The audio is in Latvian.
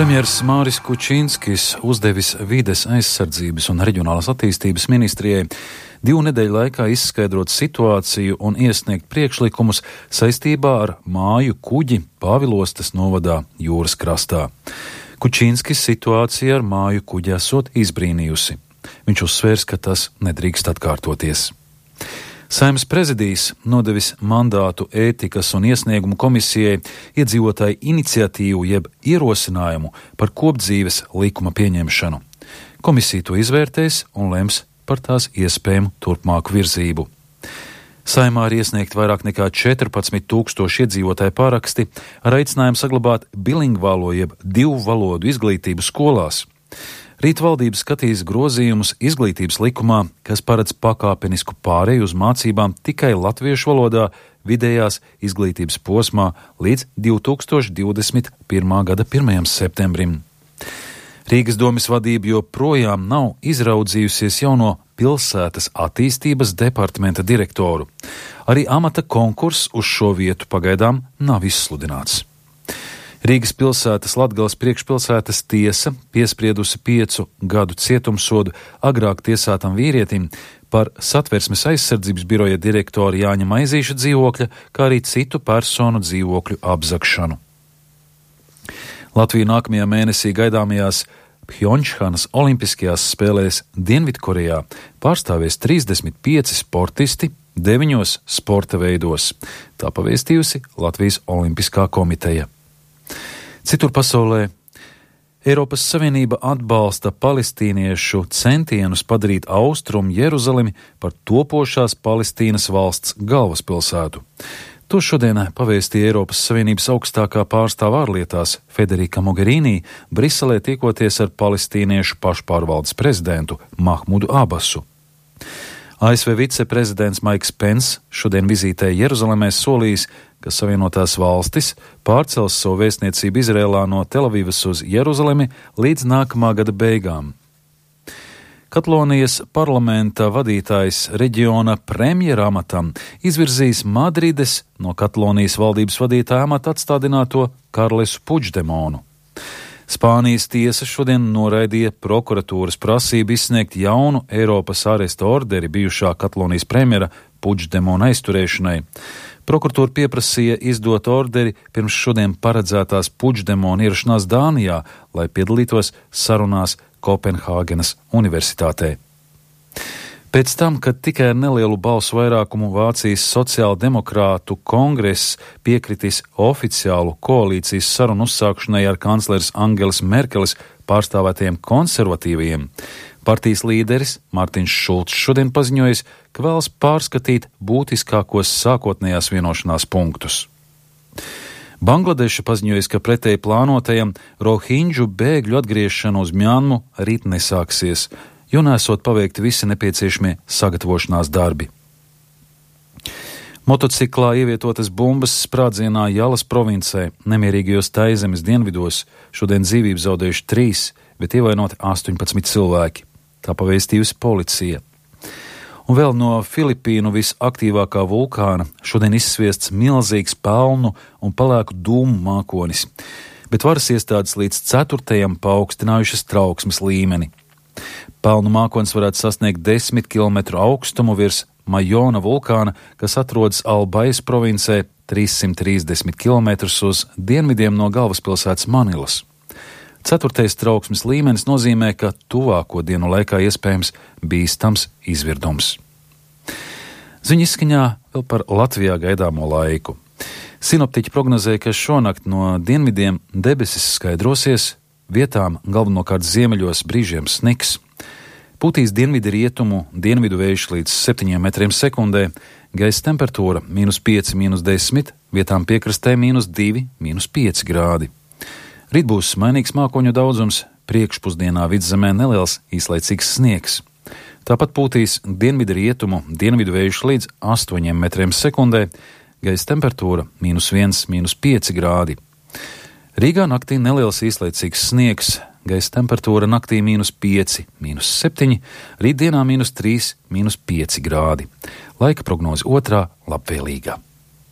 Premjers Māris Kučinskis uzdevis vides aizsardzības un reģionālās attīstības ministrijai 2 nedēļu laikā izskaidrot situāciju un iesniegt priekšlikumus saistībā ar māju kuģi Pāvilostes novadā jūras krastā. Kučinskis situāciju ar māju kuģi esot izbrīnījusi. Viņš uzsvērs, ka tas nedrīkst atkārtoties. Saeimas prezidijs nodevis mandātu ētikas un iesniegumu komisijai iedzīvotāju iniciatīvu jeb ierosinājumu par kopdzīves likuma pieņemšanu. Komisija to izvērtēs un lems par tās iespējamu turpmāku virzību. Saeimā ir iesniegt vairāk nekā 14,000 iedzīvotāju paraksti ar aicinājumu saglabāt bilingvālo jeb 2 valodu izglītību skolās. Rīt valdība skatīs grozījumus izglītības likumā, kas paredz pakāpenisku pāreju uz mācībām tikai latviešu valodā vidējās izglītības posmā līdz 2021. gada 1. septembrim. Rīgas domes vadība joprojām nav izraudzījusies jauno pilsētas attīstības departamenta direktoru. Arī amata konkurss uz šo vietu pagaidām nav izsludināts. Rīgas pilsētas Latgales priekšpilsētas tiesa piespriedusi 5 gadu cietumsodu agrāk tiesātam vīrietim par Satversmes aizsardzības biroja direktora Jāņa Maizīša dzīvokļa, kā arī citu personu dzīvokļu apzagšanu. Latvija nākamajā mēnesī gaidāmajās Pjončhanas olimpiskajās spēlēs Dienvidkorejā pārstāvēs 35 sportisti 9 sporta veidos. Tā pavēstījusi Latvijas Olimpiskā komiteja. Citur pasaulē Eiropas Savienība atbalsta palestīniešu centienus padarīt Austrumu Jeruzalemi par topošās Palestīnas valsts galvaspilsētu. To šodien pavēstīja Eiropas Savienības augstākā pārstāve ārlietās Federika Mogherini Briselē tiekoties ar palestīniešu pašpārvaldes prezidentu Mahmudu Abasu. ASV viceprezidents Maiks Pence šodien vizītē Jeruzalemē solījis, ka Savienotās valstis pārcels savu vēstniecību Izrēlā no Telavivas uz Jeruzalemi līdz nākamā gada beigām. Katalonijas parlamenta vadītājs reģiona premjera amatam izvirzījis Madrides no Katalonijas valdības vadītāja amata atstādināto Karlesu Puigdemonu. Spānijas tiesa šodien noraidīja prokuratūras prasību izsniegt jaunu Eiropas āresta orderi bijušā Katalonijas premjera Puigdemona aizturēšanai. Prokuratūra pieprasīja izdot orderi pirms šodien paredzētās Puigdemona ierašanās Dānijā, lai piedalītos sarunās Kopenhāgenas universitātē. Pēc tam, kad tikai ar nelielu balsu vairākumu Vācijas sociāldemokrātu kongress piekritis oficiālu koalīcijas sarunu uzsākšanai ar kancleres Angelas Merkeles pārstāvētajiem konservatīvajiem, partijas līderis Mārtiņš Šulcs šodien paziņojis, ka vēlas pārskatīt būtiskākos sākotnējās vienošanās punktus. Bangladeša paziņojas, ka pretēji plānotajam rohinģu bēgļu atgriešanu uz Mjanmu rīt nesāksies, jo nesot paveikti visi nepieciešamie sagatavošanās darbi. Motociklā ievietotas bumbas sprādzienā Jalas provincē, nemierīgajos Taizemes dienvidos, šodien dzīvību zaudējuši 3, bet ievainoti 18 cilvēki. Tā pavēstījusi policija. Un vēl no Filipīnu visaktīvākā vulkāna šodien izsviests milzīgs pelnu un pelēku dūmu mākonis, bet varas iestādes līdz 4. paaugstinājušas trauksmes līmeni. Pelnu mākonis varētu sasniegt 10 km augstumu virs Majona vulkāna, kas atrodas Albais provincē 330 km uz dienvidiem no galvaspilsētas Manilas. 4. trauksmes līmenis nozīmē, ka tuvāko dienu laikā iespējams bīstams izvirdums. Ziņu izskaņā vēl par Latvijā gaidāmo laiku. Sinoptiķi prognozē, ka šonakt no dienvidiem debesis skaidrosies, vietām galvenokārt ziemeļos brīžiem sniks. Pūtīs dienvidu rietumu, dienvidu vējš līdz 7 metriem sekundē, gaisa temperatūra -5, -10, vietām piekrastē -2, -5 grādi. Rīt būs mainīgs mākoņu daudzums, priekšpusdienā vidzemē neliels īslaicīgs sniegs. Tāpat pūtīs dienvidu rietumu, dienvidu vējš līdz 8 metriem sekundē, gaisa temperatūra -1, -5 grādi. Rīgā naktī neliels īslaicīgs sniegs, gaisa temperatūra naktī -5, -7, rītdienā -3, -5 grādi. Laika prognoze otrā labvēlīgā.